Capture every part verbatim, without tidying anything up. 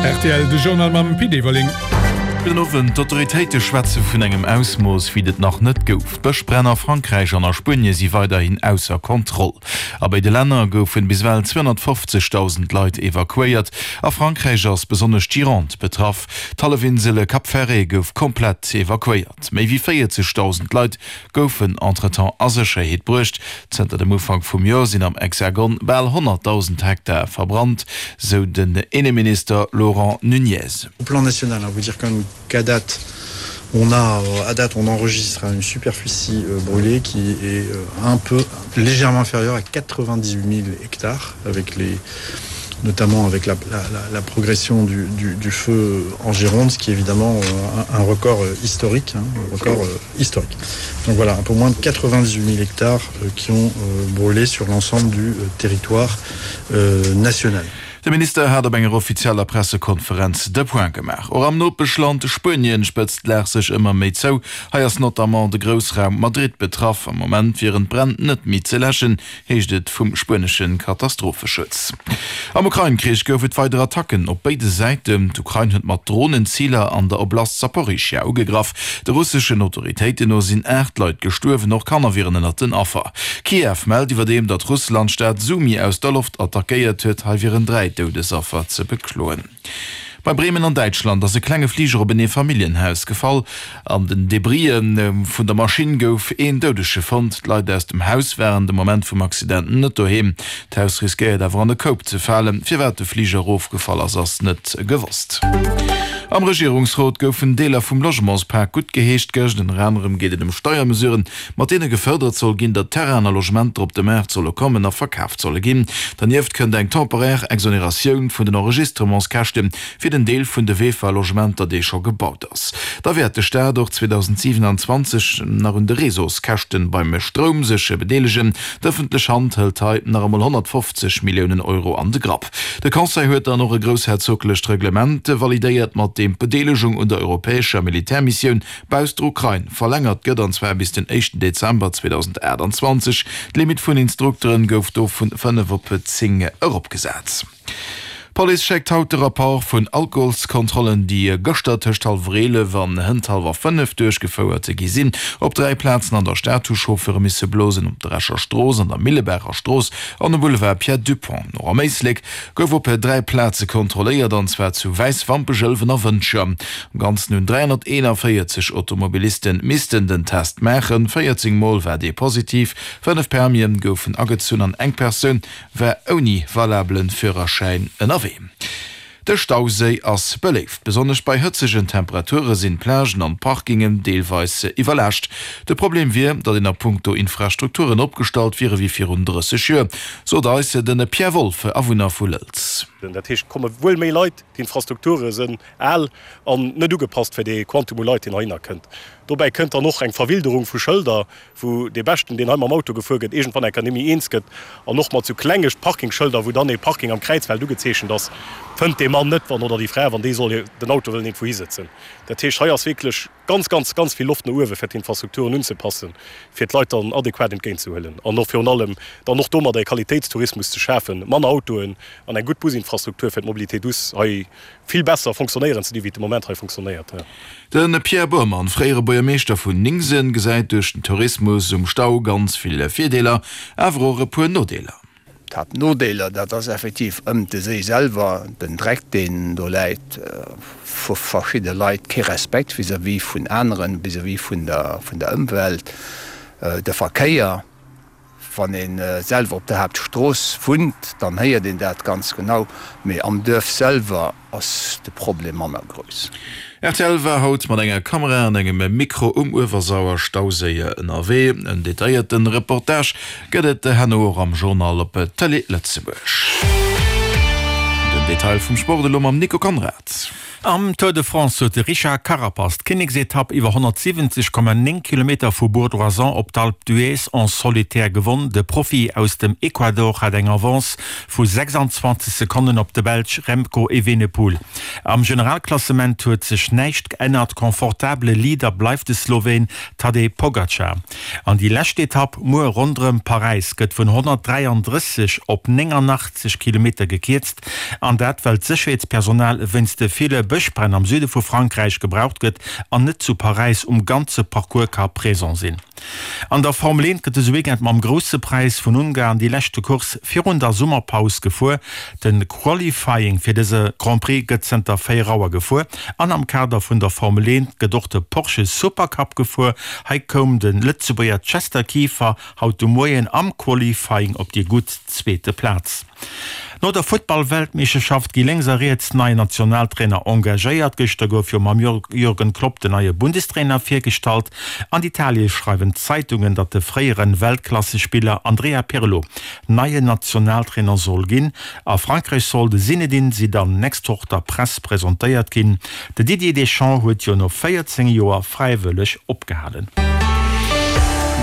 Rtl, de Journal mam Pit Everling. Gudden Owend. D'Autoritéite schwätze vun engem Ausmooss, wéi et et nach net gouf. D'Bëschbränn a Frankräich an a Spuenie si weiderhin ausser Kontroll. A béide Länner goufen bis ewell zweehonnertfofzegdausend Leit evakuéiert. A Frankräich ass besonnesch d'Gironde betraff. D'Hallefinsel Cap Ferret gouf komplett evakuéiert. Méi wéi véierzegdausend Leit goufen entretemps a Sécherheet bruecht. Zënter dem Ufank vum Joer sinn am Hexagon bal honnertdausend Hektar verbrannt, sou den Inneminister Laurent Nunez. Au plan national, vous dire quand même qu'à date on a à date on enregistre une superficie brûlée qui est un peu légèrement inférieure à quatre-vingt-dix-huit mille hectares avec les notamment avec la, la, la, la progression du, du, du feu en Gironde, ce qui est évidemment un, un record historique, hein, un record historique. Donc voilà, un peu moins de quatre-vingt-dix-huit mille hectares qui ont brûlé sur l'ensemble du territoire euh, national. De Minister hat op enger offizieller Pressekonferenz de Point gemaach. Och am Nopeschland Spuenien spëtzt d'Lag sech ëmmer méi zou. Hei ass notamment de Groussraum Madrid betraff. Am Moment wieren d'Bränn net méi ze läschen, heescht et vum spuenesche Katastropheschutz. Am Ukrain-Krich gouf et weider Attacken op béide Säiten. D'Ukrain huet mat Dronen Ziler an der Oblast Saporischschja ugegraff. De russeschen Autoritéiten no sinn aacht Leit gestuerwen, och Kanner wieren ënnert den Affer. Kiew mellt iwwerdeem, datt Russland d'Stad Sumy aus der Loft attackéiert huet. Hei wieren dräi Doudesaffer ze bekloen. Bei Bremen an Däitschland ass e klenge Fliger op en Eefamilljenhaus gefall. An den Debrisë vun der Maschinn gouf een Doudege fonnt. D'Leit aus dem Haus waren de Moment vum Accident net doheem. D'Haus riskéiert awer an e Koup ze falen. Firwat de Fliger erofgefall ass, ass net gewosst. Am Regierungsrot goufen Deeler vum Logementspak guttgeheescht gëscht. Ënner anerem geet et ëm Steiermesuren, mat deene gefërdert soll ginn, datt Terrainen a Logementer op de Maart solle kommen a verkaaft solle ginn. Dernieft kënnt eng temporaire Exoneratioun vun den Enregistrementskäschte fir den Deel vun de VEFA-Logementer, dee scho gebaut ass. Da wäert de Staat och zweedausendsiwenanzwanzeg nach un de Réseauskäschten beim Stroum sech bedeelegen. D'ëffentlech Hand hëlt hei nach emol honnertfofzeg Milliounen Euro an de Grapp. De Conseil huet dann och e groussherzoglecht Reglement validéiert, mat deem d'Bedeelegung un der europäescher Militärmissioun bausst der Ukrain verlängert gëtt, an zwar bis den éischten Dezember zweedausendaachtanzwanzeg. D'Limitt vun Instrukteren gouf do vun fënnef op zéng eropgesat. D'Police schéckt haut de Rapport vun Alkoholskontrollen, déi gëschter tëscht hallwer eelef an hënt hallwer fënnef duerchgefouert gi sinn. Op dräi Plazen an der Stad hu Chauffeure misse blosen, op der Escher Strooss, an der Millebaacher Strooss an um Boulevard Pierre Dupong. Och am Éislek gouf op dräi Plaze kontrolléiert, an zwar zu Wäiswampech, Ëlwen a Wëntger. Am Ganzen hunn dräihonnerteenanvéierzeg Automobiliste missten den Test maachen, véierzéng Mol war dee positiv, fënnef Permien goufen agezunn an eng Persoun war ouni valabelen Führerschäin ënnerwee. De Stauséi ass beléift. Besonnesch bei hëtzegen Temperature sinn d'Plagen an d'Parkingen deelweis iwwerlaascht. De Problem wier, datt een a punkto Infrastrukturen opgestallt wiere wéi virun drësseg Joer, sot eis de Pierre Wolff, Awunner vu Lëlz. Dat heescht, et komme wuel méi Leit, d'Infrastrukture sinn al an net ugepasst fir dee Quantum u Leit, deen heihinner kënnt. Dobäi kënnt dann och eng Verwilderung vu Schëlder, wou dee Beschten, deen hei mam Auto gefuer gëtt, iergendwann eng Kéier net méi eens gëtt. An och mat sou klenge Parkingschëlder, wou dann ee Parking am Kräizfeld ugezeechent ass, fënnt dee Mann net, wann, oder déi Fra, wann déi soll den Auto wëllen iergendwou hisëtzen. Dat heescht, hei ass wierklech ganz, ganz, ganz vill Loft no uewe fir d'Infrastrukturen unzepassen, fir d'Leit dann adequat entgéintzehuelen an och virun allem dann och domadder e Qualitéitstourismus ze schafen, manner Autoen an eng gutt Businfrastruktur fir d'Mobilité douce hei vill besser fonctionnéieren ze dinn, wéi et de Moment hei fonctionnéiert. De Pierre Bormann, fréiere Buergermeeschter vun Ningsen, gesäit duerch den Tourismus um Stau ganz vill Virdeeler, awer och e puer Nodeeler. D'Haaptnodeeler, dat ass effektiv ëm de Séi selwer, den Dreck, deen do läit, vu verschidde Leit, kee Respekt vis-à-vis vun aneren, vis-à-vis vun der, vun der Ëmwelt, de Verkéier. Wann ee selwer op der Haaptstrooss wunnt, dann héiert een dat ganz genau, mee am Duerf selwer ass de Problem manner grouss. Rtl war haut mat enger Kamera an engem Mikro um Uewersauer-Stauséi ënnerwee. En detailléierte Reportage gëtt et herno och am Journal op Tëlee Lëtzebuerg. Den Detail vum Sport elo mam Nico Conrad. Am Tour de France huet de Richard Carapaz d'Kinneksetapp iwwer honnertsiwwenzeg Komma néng Kilometer vu Bourg-d'Oisans op d'Alpe d'Huez en solitaire gewonn. De Profi aus dem Ecuador hat eng Avance vu sechsanzwanzeg Sekonnen op de Belsch Remco Evenepoel. Am Generalklassement huet sech näischt geännert, confortabele Leader bleift de Sloween Tadej Pogacar. An déi lescht Etapp muer ronderëm Paräis gëtt vun honnertdräiandrësseg op néngannachtzeg Kilometer gekierzt. An dat well d'Sécherheetspersonal wéinst de ville Bëschbränn am Süde vu Frankräich gebraucht gëtt an net zu Paräis um ganze Parcours ka présent sinn. An der Formel eent gëtt dëse Weekend mam Grousse Präis vun Ungarn déi leschte Course virun der Summerpaus gefuer. De Qualifying fir dëse Grand Prix gëtt zënter véier Auer gefuer an am Kader vun der Formel eent gëtt och de Porsche Supercup gefuer. Hei koum de Lëtzebuerger Chester Kieffer haut de Moien am Qualifying op déi gutt zweete Plaz. No der Futtball-Weltmeeschterschaft gi lénks a riets nei Nationaltrainer engagéiert. Gëschter gouf jo mam Jürgen Klopp den neie Bundestrainer virgestallt. An Italie schreiwen d'Zeitungen, datt de fréiere Weltklassespiller Andrea Pirlo neien Nationaltrainer soll ginn. A Frankräich soll de Zinedine Zidane nächst Woch der Press presentéiert ginn. De Didier Deschamps huet jo no véierzéng Joer fräiwëlleg opgehalen.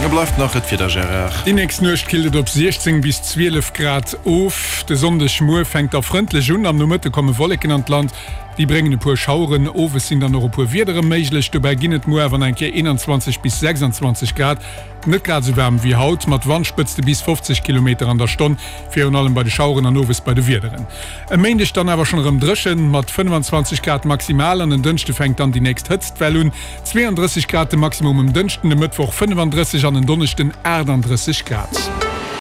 Da bleift nach et Wieder, Gérard. Déi nächst Nuecht killt et op siechzéng bis zwielef Grad of. De Sonndegmuer fänkt da frëndlech un, am Nomëtte komme Wolleken an d'Land, déi bréngen e puer Schaueren. Owes sinn dann och e puer Wiedere méiglech. Dobäi ginn et muer awer nach eng Kéier eenanzwanzeg bis sechsanzwanzeg Grad, net grad esou waarm wéi haut, mat Wandspëtzte bis fofzeg Kilometer an der Stonn, virun allem bei de Schaueren an owes bei de Wiederen. E Méindeg dann awer schonn erëm dréchen, mat fënnfanzwanzeg Grad maximal an en Dënschde fänkt dann déi nächst Hëtztwell un, zweeandrësseg Grad de Maximum um Dënschden, e Mëttwoch fënnefandrësseg an en Donneschden aachtanddrësseg Grad.